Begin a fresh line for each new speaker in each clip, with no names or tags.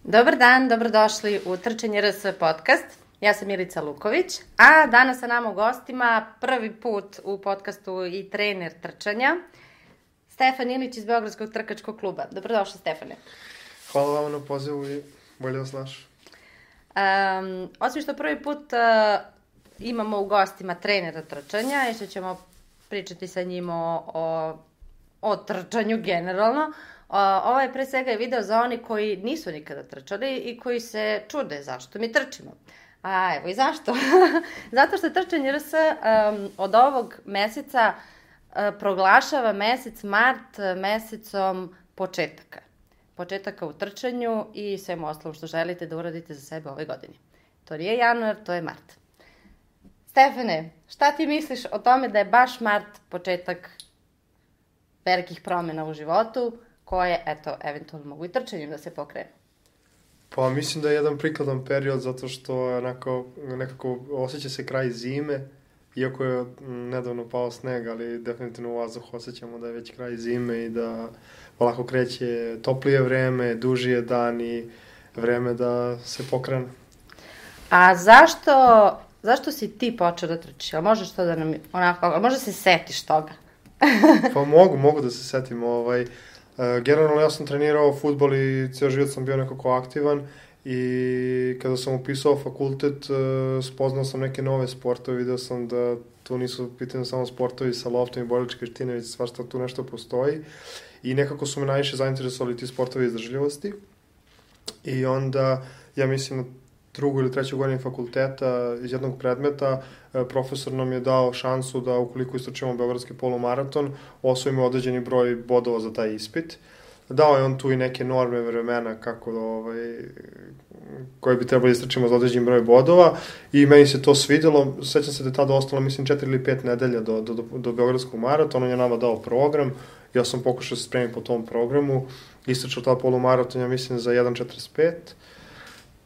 Dobar dan, dobrodošli u Trčanje RS podcast. Ja sam Milica Luković, a danas sa nama u gostima prvi put u podcastu i trener trčanja, Stefan Ilić iz Beogradskog trkačkog kluba. Dobrodošli, Stefane.
Hvala vam na pozivu i bolje vas našao.
Osim što prvi put imamo u gostima trenera trčanja i što ćemo pričati sa njim o trčanju generalno, ovo je pre svega video za oni koji nisu nikada trčali i koji se čude zašto mi trčimo. A evo i zašto. Zato što Trčanje RS od ovog meseca proglašava mesec mart mesecom početaka. Početaka u trčanju i svemu ostalom što želite da uradite za sebe ove godine. To nije januar, to je mart. Stefane, šta ti misliš o tome da je baš mart početak velikih promjena u životu, koje, eto, eventualno mogu i trčanjem da se pokrenu?
Pa mislim da je jedan prikladan period zato što nekako osjeća se kraj zime, iako je nedavno pao sneg, ali definitivno u vazduhu osjećamo da je već kraj zime i da polako kreće toplije vreme, dužije dani, vreme da se pokrene.
A zašto si ti počeo da trčiš? Ali možeš to da nam, onako, možda se setiš toga?
Pa mogu da se setim. Generalno ja sam trenirao fudbal i cijel život sam bio nekako aktivan i kada sam upisao fakultet spoznao sam neke nove sportove, video sam da tu nisu pitanje samo sportovi sa loptom i borilačke veštine, već svašta tu nešto postoji i nekako su me najviše zainteresovali ti sportovi izdržljivosti i onda ja mislim na drugu ili treću godinu fakulteta iz jednog predmeta profesor nam je dao šansu da ukoliko istrčimo Beogradski polumaraton osvojimo određeni broj bodova za taj ispit. Dao je on tu i neke norme vremena koje bi trebali istrčimo za određeni broj bodova i meni se to svidjelo. Sećam se da je tada ostalo mislim 4 ili 5 nedelja do Beogradskog maratona, on je nama dao program, ja sam pokušao se spremiti po tom programu, istrčao ta polumaraton ja mislim za 1.45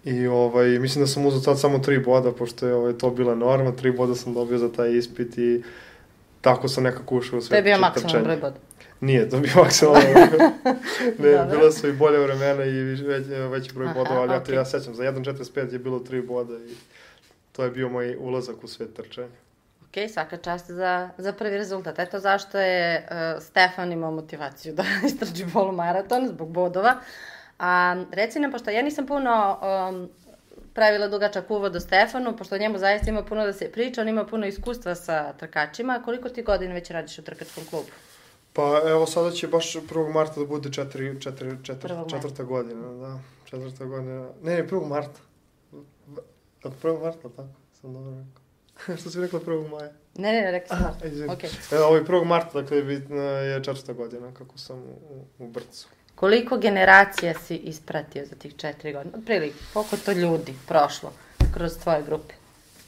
i mislim da sam uzao tad samo 3 boda, pošto je to bila norma, 3 boda sam dobio za taj ispit i tako sam nekako ušao u sve trčanje.
To je bio maksimalno broj boda?
Nije, to je bio maksimalno broj boda. Ne, bila su i bolje vremena i veći broj bodova, ali ja sećam, za 1.45 je bilo 3 boda i to je bio moj ulazak u svet trčanja.
Ok, svaka čast za prvi rezultat. Eto zašto je Stefan imao motivaciju da istrči polumaraton zbog bodova. A reci nam, pošto ja nisam puno pravila dugačak uvod o Stefanu, pošto o njemu zaista ima puno da se priča, on ima puno iskustva sa trkačima. Koliko ti godina već radiš u trkačkom klubu?
Pa evo sada će baš 1. marta da bude četvrta godina, da. Četvrta godina. Ne, 1. marta. Od 1. marta, tako? Sam dobro rekao. Što si rekla 1. maja?
Ne, rekao sam.
Okay. Evo, 1. marta, dakle, je četvrta godina kako sam u Brcu.
Koliko generacija si ispratio za tih 4 godine? Otprilike, koliko to ljudi prošlo kroz tvoje grupe?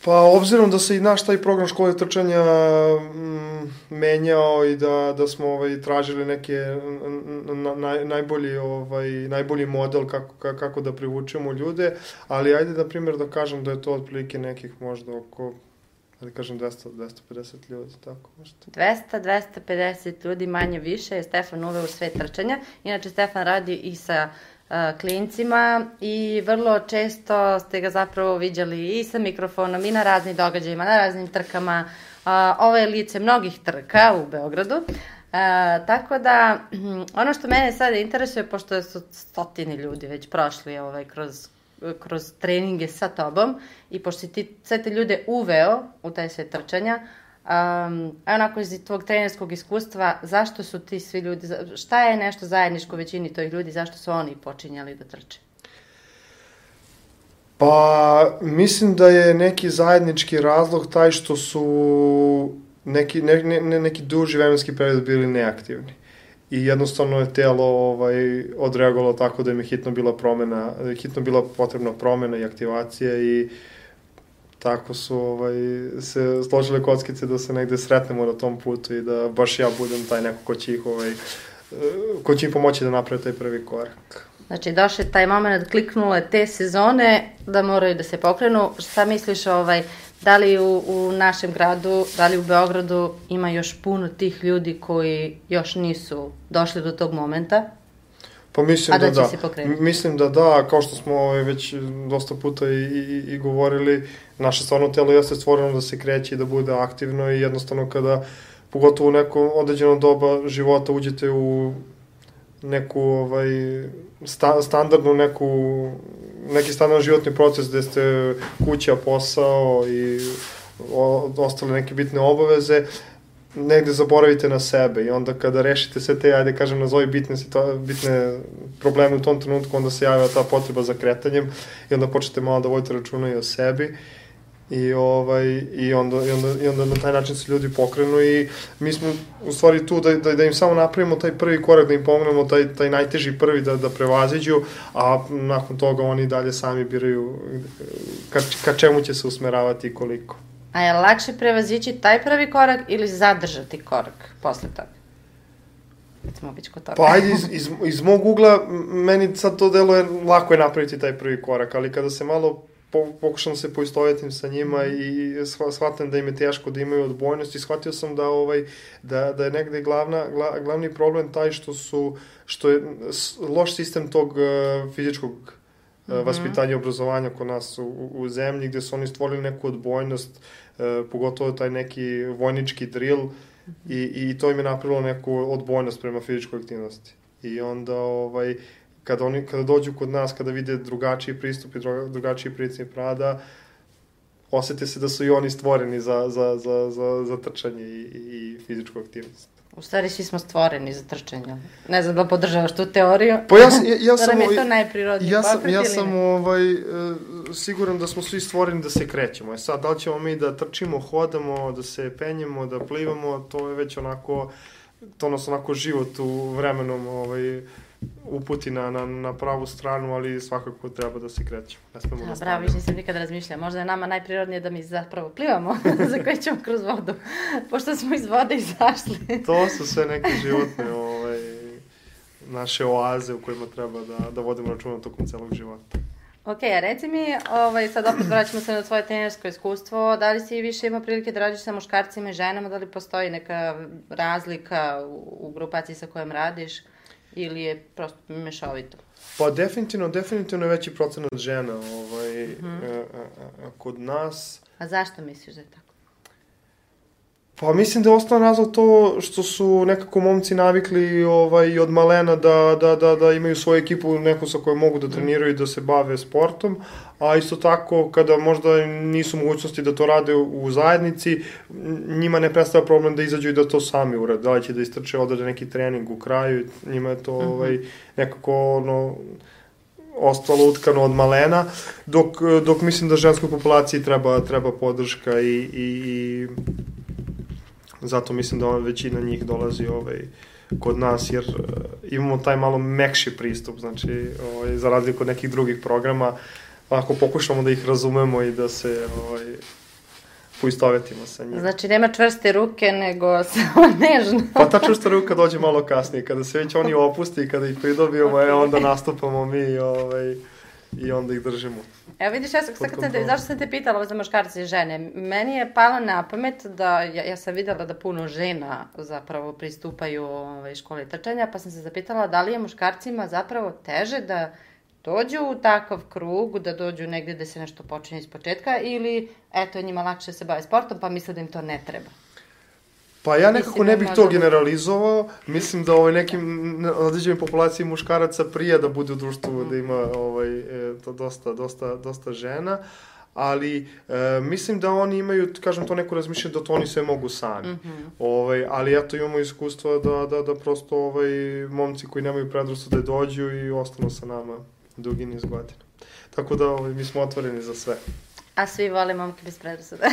Pa, obzirom da se i naš taj program škole trčanja menjao i da smo tražili neke najbolji model kako da privučemo ljude, ali ajde da primjer da kažem da je to otprilike nekih možda oko, da kažem 200-250 ljudi, tako možda.
200-250 ljudi manje više je Stefan uveo u svet trčanja. Inače, Stefan radi i sa klincima i vrlo često ste ga zapravo viđali i sa mikrofonom i na raznim događajima, na raznim trkama. Ovo je lice mnogih trka u Beogradu. Tako da, ono što mene sada interesuje, pošto su stotini ljudi već prošli kroz treninge sa tobom i pošto si ti sve te ljude uveo u taj svet trčanja, onako iz tvog trenerskog iskustva, zašto su ti svi ljudi, šta je nešto zajedničko većini tih ljudi, zašto su oni počinjali da trče?
Pa, mislim da je neki zajednički razlog taj što su neki duži vremenski period bili neaktivni. I jednostavno je telo odreagovalo tako da im je hitno bila potrebna promena i aktivacija i tako su se složile kockice da se negde sretnemo na tom putu i da baš ja budem taj neko ko će im pomoći da naprave taj prvi korak.
Znači, došao je taj moment, kliknule te sezone da moraju da se pokrenu. Šta misliš, da li u našem gradu, da li u Beogradu ima još puno tih ljudi koji još nisu došli do tog momenta?
Pa mislim
a da će se pokrenuti?
Mislim da, kao što smo već dosta puta i govorili, naše stvarno telo jeste stvoreno da se kreće i da bude aktivno i jednostavno kada, pogotovo u neko određeno doba života, uđete u neku standardnu neki standardni životni proces gde ste kuća, posao i ostale neke bitne obaveze, negde zaboravite na sebe i onda kada rešite sve te, ajde kažem, nazovi bitne probleme u tom trenutku, onda se javlja ta potreba za kretanjem i onda počnete malo da vodite računa i o sebi i onda na taj način se ljudi pokrenu i mi smo u stvari tu da im samo napravimo taj prvi korak, da im pomognemo taj najteži prvi da prevaziđu, a nakon toga oni dalje sami biraju ka čemu će se usmeravati i koliko.
A je lakše prevazići taj prvi korak ili zadržati korak posle toga? Recimo biti kod toga.
Pa ajde, iz mog ugla, meni sad to deluje, lako je napraviti taj prvi korak, ali kada se malo pokušam da se poistovetim sa njima i shvatam da im je teško, da imaju odbojnost i shvatio sam da je negde glavni problem taj što je loš sistem tog fizičkog vaspitanja i obrazovanja kod nas u zemlji, gde su oni stvorili neku odbojnost, pogotovo taj neki vojnički drill i to im je napravilo neku odbojnost prema fizičkoj aktivnosti. I onda kada dođu kod nas, kada vide drugačiji pristup i drugačiji princip rada, osete se da su i oni stvoreni za trčanje i fizičku aktivnost.
U stvari svi smo stvoreni za trčanje. Ne znam da podržavaš tu teoriju.
Pa ja sam...
Da nam je to najprirodniji pokret
ja sam siguran da smo svi stvoreni da se krećemo. Sad, da li ćemo mi da trčimo, hodamo, da se penjemo, da plivamo, to je već onako... To nas onako život u vremenom uputi na pravu stranu, ali svakako treba da se krećemo. Ne smemo da
bravo, viš nisam nikada razmišljala. Možda je nama najprirodnije da mi zapravo plivamo, za koje ćemo kroz vodu, pošto smo iz vode izašli.
To su sve neke životne naše oaze u kojima treba da vodimo računa tokom celog života.
Ok, a reci mi, sad opet vraćamo se na tvoje trenersko iskustvo, da li si više imao prilike da radiš sa muškarcima i ženama, da li postoji neka razlika u grupaciji sa kojom radiš ili je prosto mešovito?
Pa definitivno je veći procenat žena kod nas.
A zašto misliš da je tako?
Pa mislim da je osnovan razlog to što su nekako momci navikli od malena da imaju svoju ekipu, neku sa kojom mogu da treniraju i da se bave sportom, a isto tako kada možda nisu mogućnosti da to rade u zajednici, njima ne predstavlja problem da izađu i da to sami urade, da li će da istrče odrede neki trening u kraju, njima je to nekako ostalo utkano od malena, dok mislim da ženskoj populaciji treba podrška i zato mislim da većina njih dolazi kod nas, jer imamo taj malo mekši pristup, znači za razliku od nekih drugih programa, ako pokušamo da ih razumemo i da se poistovetimo sa njima.
Znači nema čvrste ruke, nego samo nežno.
Pa ta čvrsta ruka dođe malo kasnije, kada se već oni opusti i kada ih pridobijemo, onda nastupamo mi i onda ih držimo.
Evo vidiš, zašto sam te pitala za muškarce i žene? Meni je palo na pamet da, ja sam videla da puno žena zapravo pristupaju školi trčanja, pa sam se zapitala da li je muškarcima zapravo teže da dođu u takav krug, da dođu negde da se nešto počinje iz početka ili eto njima lakše se bave sportom pa misle da im to ne treba.
Pa ja nekako ne bih to generalizovao, mislim da nekim određenim populaciji muškaraca prija da bude u društvu, da ima dosta žena, ali mislim da oni imaju, kažem, to neko razmišljanje da to oni sve mogu sami. Ali eto imamo iskustvo da prosto momci koji nemaju predrasude dođu i ostanu sa nama dugi niz godina. Tako da mi smo otvoreni za sve.
A svi vole momke bez predrasuda.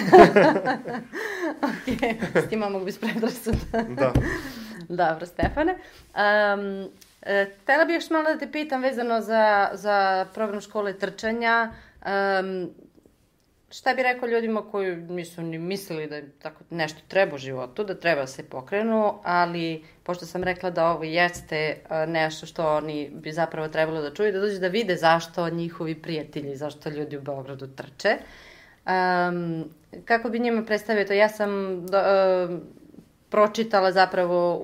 Ok, s ti momak bez predrasuda.
Da.
Dobro, Stefane. Htela bih još malo da te pitam vezano za program škole trčanja. Šta bi rekao ljudima koji nisu ni mislili da tako nešto treba u životu, da treba se pokrenu, ali pošto sam rekla da ovo jeste nešto što oni bi zapravo trebalo da čuju, da dođu da vide zašto njihovi prijatelji, zašto ljudi u Beogradu trče. Kako bi njima predstavio to? Ja sam pročitala zapravo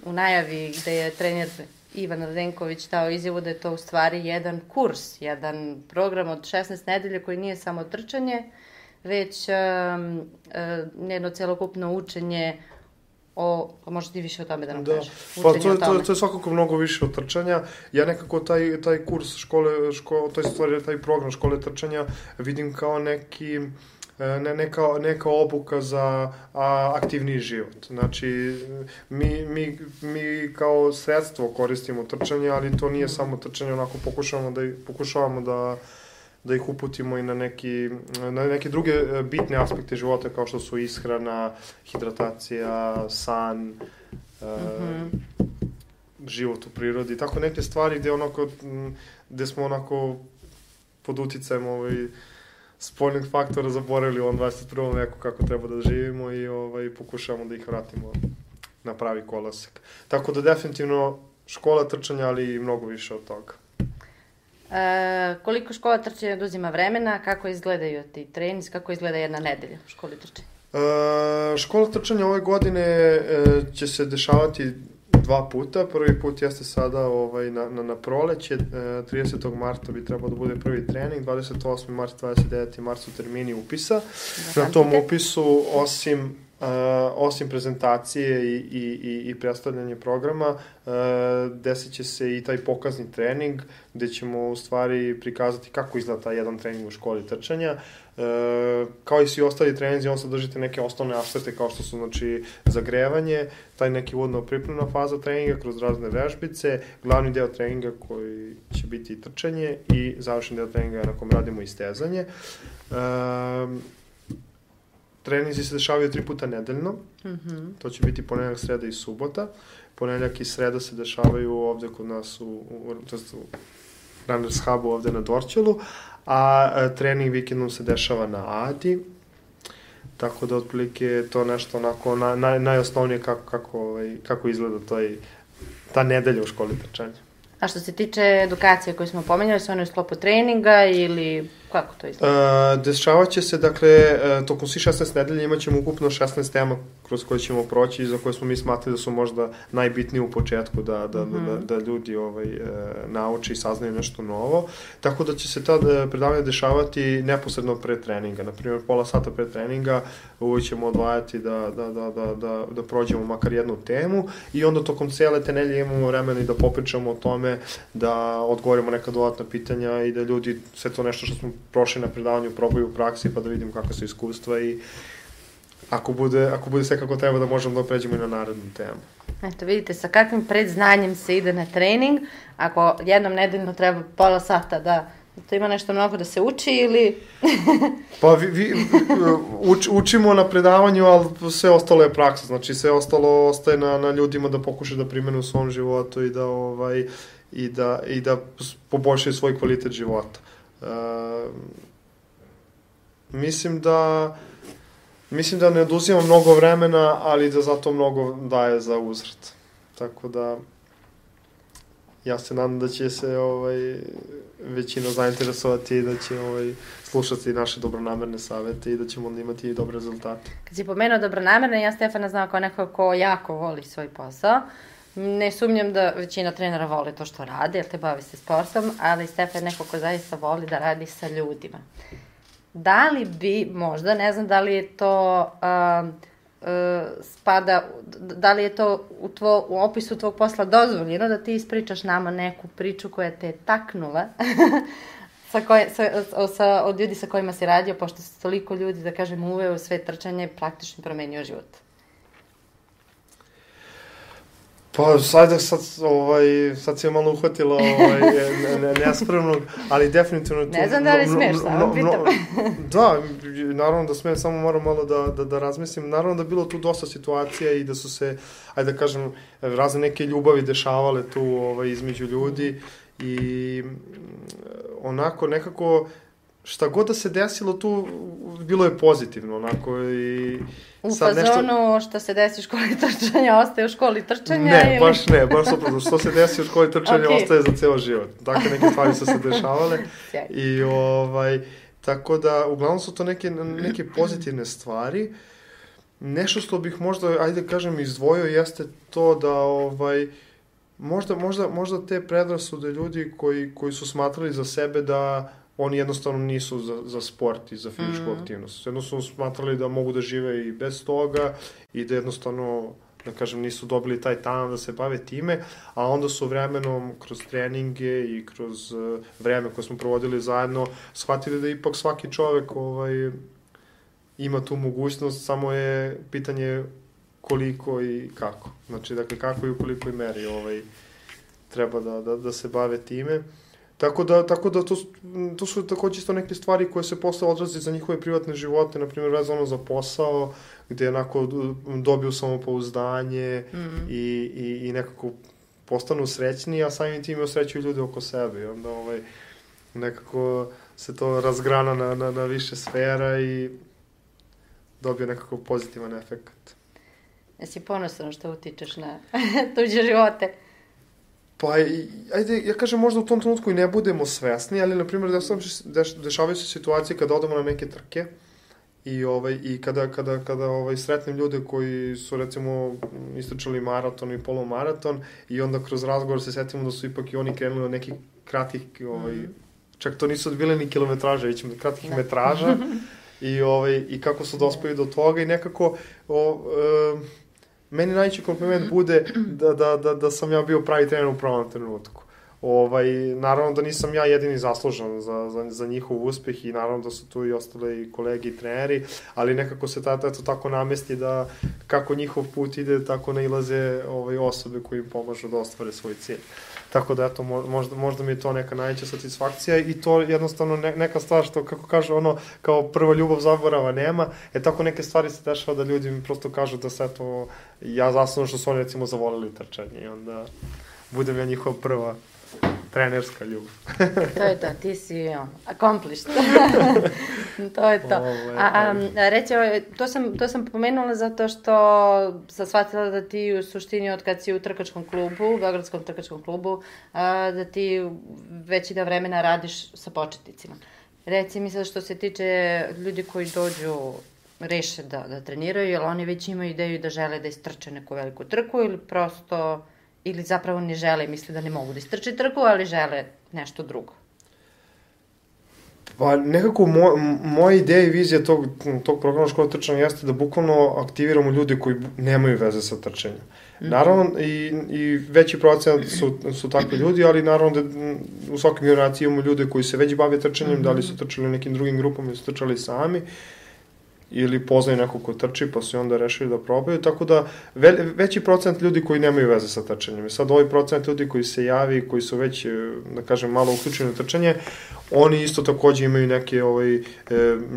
u najavi gde je trener Ivan Radenković dao izjavu da je to u stvari jedan kurs, jedan program od 16 nedelja koji nije samo trčanje, već jedno celokupno učenje pa možda ti više o tome da nam kažeš.
Pa to je svakako mnogo više od trčanja. Ja nekako taj kurs taj program škole trčanja vidim kao neka obuka za aktivniji život. Znači, mi kao sredstvo koristimo trčanje, ali to nije samo trčanje, onako pokušavamo da ih uputimo i na neke druge bitne aspekte života, kao što su ishrana, hidratacija, san, život u prirodi, tako neke stvari gde smo onako pod uticajem spoljnih faktora zaboravili u ovom 21. veku kako treba da živimo i pokušavamo da ih vratimo na pravi kolosek. Tako da definitivno škola trčanja, ali i mnogo više od toga.
Koliko škola trčanja oduzima vremena, kako izgledaju ti treninzi, kako izgleda jedna nedelja u školi trčanja?
Škola trčanja ove godine će se dešavati 2 puta. Prvi put jeste sada na proleće, 30. marta bi trebao da bude prvi trening, 28. mart, 29. mart su termini upisa. Na tom upisu, osim prezentacije i predstavljanje programa, desit će se i taj pokazni trening, gde ćemo u stvari prikazati kako izgleda taj jedan trening u školi trčanja. Kao i svi ostali treninzi, on sadržite neke osnovne aspekte kao što su, znači, zagrevanje, taj neki uvodno pripremna faza treninga kroz razne vežbice, glavni deo treninga koji će biti trčanje i završen deo treninga na kom radimo istezanje. Treninzi se dešavaju 3 puta nedeljno, to će biti ponedeljak, sreda i subota. Ponedeljak i sreda se dešavaju ovde kod nas u Runners Hubu ovde na Dorćolu, a trening vikendom se dešava na Adi, tako da otprilike je to nešto onako najosnovnije kako izgleda ta nedelja u školi trčanja.
A što se tiče edukacije koju smo pomenjali, su one u sklopu treninga ili kako to izgleda?
Dešavaće se, dakle, tokom svih 16 nedelja imat ćemo ukupno 16 tema kroz koje ćemo proći i za koje smo mi smatrali da su možda najbitniji u početku da ljudi nauče i saznaju nešto novo. Tako da će se ta predavanja dešavati neposredno pre treninga. Naprimjer, pola sata pre treninga uvijek ćemo odvajati da prođemo makar jednu temu i onda tokom cele te nedelje imamo vremena i da popričamo o tome, da odgovorimo neka dodatna pitanja i da ljudi sve to nešto što smo prošli na predavanju probaju u praksi pa da vidimo kakva su iskustva i ako bude sve kako treba da možemo da pređemo i na narednu temu.
Eto, vidite sa kakvim predznanjem se ide na trening, ako jednom nedeljno treba pola sata da to ima nešto mnogo da se uči ili...
Pa učimo na predavanju, ali sve ostalo je praksa, znači sve ostalo ostaje na ljudima da pokušaju da primene u svom životu i da poboljšaju svoj kvalitet života. Mislim da ne oduzima mnogo vremena, ali da zato mnogo daje za uzvrat. Tako da ja se nadam da će se većina zainteresovati i da će slušati naše dobronamerne savete i da ćemo onda imati i dobre rezultate.
Kad si pomenuo dobronamerne, ja Stefana znao kao neko ko jako voli svoj posao. Ne sumnjam da većina trenera voli to što radi, jer te bavi se sportom, ali Stefan je neko ko zaista voli da radi sa ljudima. Da li bi možda, ne znam da li je to spada, da li je to u opisu tvog posla dozvoljeno da ti ispričaš nama neku priču koja te je taknula od ljudi sa kojima si radio, pošto se toliko ljudi, da kažem, uveo u sve trčanje i praktično promenio život?
Pa, sad si je malo uhvatila nespremnog, ali definitivno...
Ne znam da li smeš, samo pitam.
Da, naravno da smijem, samo moram malo da razmislim. Naravno da je bilo tu dosta situacija i da su se, ajde da kažem, razne neke ljubavi dešavale tu između ljudi i onako nekako... Šta god da se desilo tu, bilo je pozitivno, onako i...
U fazonu što se desi u školi trčanja, ostaje u školi trčanja?
Ne, baš ne, baš suprotno. Što se desi u školi trčanja, ostaje za ceo život. Dakle, neke stvari su se dešavale. I, tako da, uglavnom su to neke pozitivne stvari. Nešto što bih možda, ajde kažem, izdvojio jeste to da, možda te predrasude ljudi koji su smatrali za sebe da oni jednostavno nisu za sport i za fizičku aktivnost. Jednostavno smatrali da mogu da žive i bez toga i da jednostavno, da kažem, nisu dobili taj talent da se bave time, a onda su vremenom kroz treninge i kroz vreme koje smo provodili zajedno shvatili da ipak svaki čovek ima tu mogućnost, samo je pitanje koliko i kako. Znači, dakle, kako i u kolikoj meri treba da se bave time. Tako da to su takođe isto neke stvari koje se posle odrazi za njihove privatne živote, na primjer vezano za posao, gde onako dobiju samopouzdanje i nekako postanu srećni, a samim tim osrećuju ljude oko sebe. I onda nekako se to razgrana na više sfera i dobije nekako pozitivan efekt.
Jesi ponosan što utičeš na tuđe živote?
Pa, ajde, ja kažem, možda u tom trenutku i ne budemo svesni, ali, na primjer, dešavaju se situacije kada odemo na neke trke i kada sretnem ljude koji su, recimo, istračali maraton i polumaraton i onda kroz razgovor se setimo da su ipak i oni krenuli od nekih kratkih, čak to nisu bile ni kilometraže, već kratkih metraža i kako su dospeli do toga i nekako meni najveći kompliment bude da sam ja bio pravi trener u pravom trenutku. Naravno da nisam ja jedini zaslužan za njihov uspeh i naravno da su tu i ostale i kolege i treneri, ali nekako se tako namesti da kako njihov put ide, tako nailaze osobe koji im pomažu da ostvare svoj cilj. Tako da, eto, možda mi je to neka najveća satisfakcija i to jednostavno neka stvar što, kako kažu, kao prva ljubav zaborava nema, tako neke stvari se dešava da ljudi mi prosto kažu da se, eto, ja zaslužno što su oni, recimo, zavolili trčanje i onda budem ja njihova prva trenerska ljubav.
To je to, ti si accomplished. To je to. Reći, to sam pomenula zato što sam shvatila da ti u suštini od kad si u trkačkom klubu, u Beogradskom trkačkom klubu, da ti veći da vremena radiš sa početnicima. Reci mi sad što se tiče ljudi koji dođu, reše da treniraju, jer oni već imaju ideju da žele da istrče neku veliku trku ili prosto... ili zapravo ne žele i misle da ne mogu da istrče trku, ali žele nešto drugo?
Pa nekako moja ideja i vizija tog programa škola trčanja jeste da bukvalno aktiviramo ljude koji nemaju veze sa trčanjem. Naravno, i veći procenat su takvi ljudi, ali naravno da u svakoj generaciji imamo ljude koji se već bave trčanjem, da li su trčali u nekim drugim grupama ili su trčali sami, ili poznaju neko ko trči, pa su onda rešili da probaju, tako da veći procent ljudi koji nemaju veze sa trčanjem. Sad ovaj procent ljudi koji se javi, koji su već, da kažem, malo uključeni u trčanje, oni isto takođe imaju neke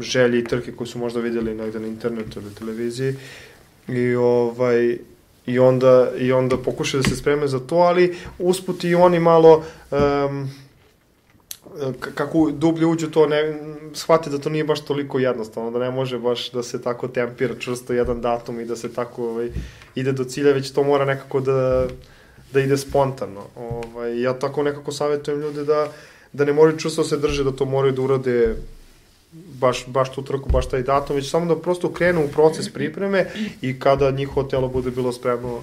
želje i trke koje su možda vidjeli negde na internetu ili televiziji i onda pokušaju da se spreme za to, ali usput i oni malo... kako dublje uđu to, shvati da to nije baš toliko jednostavno, da ne može baš da se tako tempira čvrsto jedan datum i da se tako ide do cilja, već to mora nekako da ide spontano. Ja tako nekako savjetujem ljude da ne moraju čvrsto se drže, da to moraju da urade baš tu trku, baš taj datum, već samo da prosto krenu u proces pripreme i kada njihovo telo bude bilo spremno,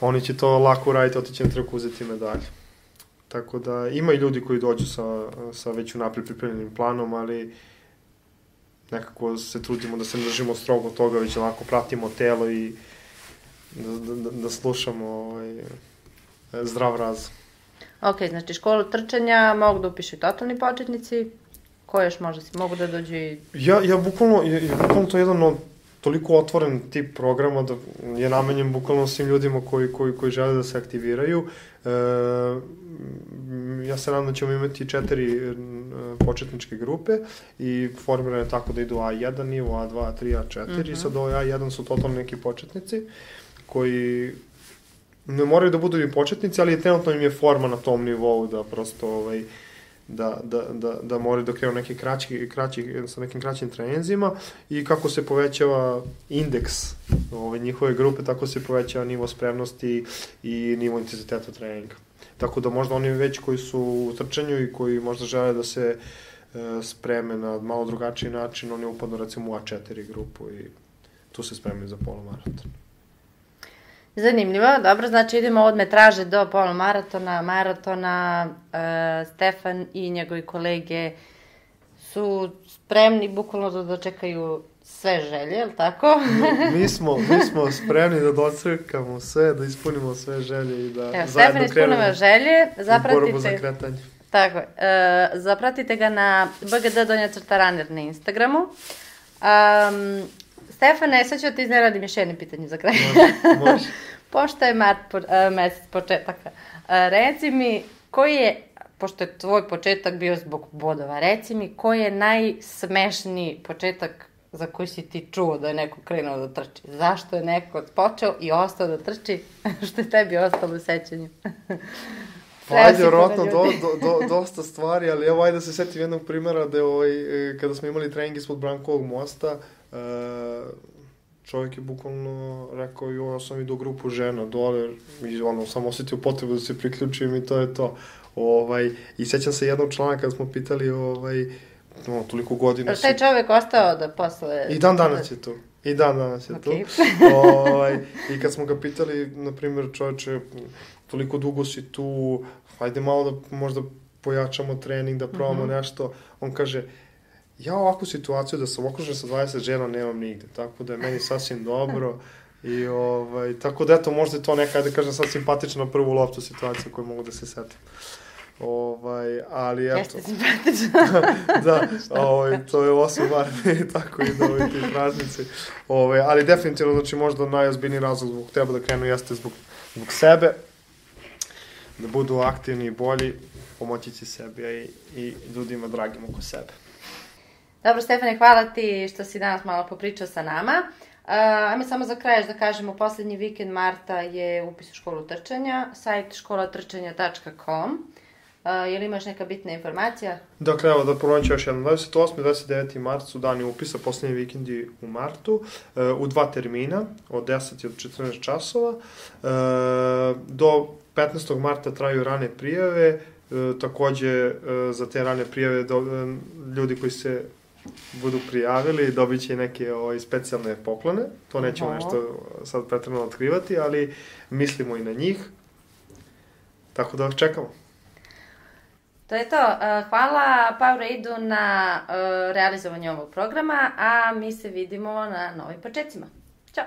oni će to lako uraditi, otići na trku, uzeti medalju. Tako da ima i ljudi koji dođu sa već unaprijed pripremljenim planom, ali nekako se trudimo da se ne držimo strogo toga, već lako pratimo telo i da slušamo zdrav razum.
Ok, znači školu trčanja mogu da upišu totalni početnici, ko još možda si mogu da dođu i...
Ja bukvalno to je jedan toliko otvoren tip programa da je namenjen bukvalno svim ljudima koji žele da se aktiviraju. Ja se nadam da ćemo imati 4 početničke grupe i formirane tako da idu A1 nivo, A2, A3, A4 i sad ovo A1 su totalno neki početnici koji ne moraju da budu i početnici, ali trenutno im je forma na tom nivou da prosto da moraju da krenu neki sa nekim kraćim treninzima i kako se povećava indeks njihove grupe, tako se povećava nivo spremnosti i nivo intenziteta treninga. Tako da možda oni već koji su u trčanju i koji možda žele da se spreme na malo drugačiji način, oni upadnu recimo u A4 grupu i tu se spremaju za polumaraton.
Zanimljivo, dobro, znači idemo od metraže do polumaratona, maratona, Stefan i njegovi kolege su spremni bukvalno da dočekaju sve želje, je li tako?
Mi smo spremni da docrkamo sve, da ispunimo sve želje i da
zajedno krenemo želje,
zapratite borbu za kretanje.
Tako je, zapratite ga na bgd_runner na Instagramu. Stefane, sad ću da ti izneradim još jedno pitanje za kraj.
Može.
Pošto je mesec početaka, reci mi, koji je, pošto je tvoj početak bio zbog bodova, reci mi koji je najsmešniji početak za koji si ti čuo da je neko krenuo da trči? Zašto je neko počeo i ostao da trči, što je tebi ostalo u sećanju?
Ajde, vjerojatno dosta stvari, ali evo ajde da se setim jednog primjera da kada smo imali trening ispod Brankovog mosta, čovjek je bukvalno rekao, ja sam vidio grupu žena dole i sam osjetio potrebu da se priključim i to je to. I sećam se jednog člana kada smo pitali toliko godina.
Taj čovjek ostao da posle...
I dan danas je tu. Okay. I kad smo ga pitali, na primjer, čovječe, toliko dugo si tu, hajde malo da možda pojačamo trening, da probamo nešto. On kaže, ja ovakvu situaciju da sam okružen sa 20 žena nemam nigde, tako da je meni sasvim dobro. I tako da eto, možda je to neka, da kažem, sad simpatična na prvu loptu situacija koju mogu da se setim. Ali eto...
Jeste simpatično.
Da, to je 8 marta, tako i da ti praznici. Ali definitivno, znači možda najozbiljniji razlog zbog teba da krenu jeste zbog sebe, da budu aktivni i bolji, pomoći će sebi i ljudima dragim oko sebe.
Dobro, Stefane, hvala ti što si danas malo popričao sa nama. Ajme samo za kraj da kažemo, poslednji vikend marta je upis u školu trčanja, sajt školatrčanja.com. Je li imaš neka bitna informacija?
Dakle, evo da ponovim ću još jednom. 28. i 29. mart su dani upisa, poslednji vikendi u martu, u 2 termina, od 10 i od 14 časova. Do 15. marta traju rane prijave, takođe za te rane prijave ljudi koji se budu prijavili dobit će neke specijalne poklone. To nećemo nešto sad pretredno otkrivati, ali mislimo i na njih. Tako da čekamo.
To je to. Hvala Powerade na realizovanju ovog programa, a mi se vidimo na novim početcima. Ćao!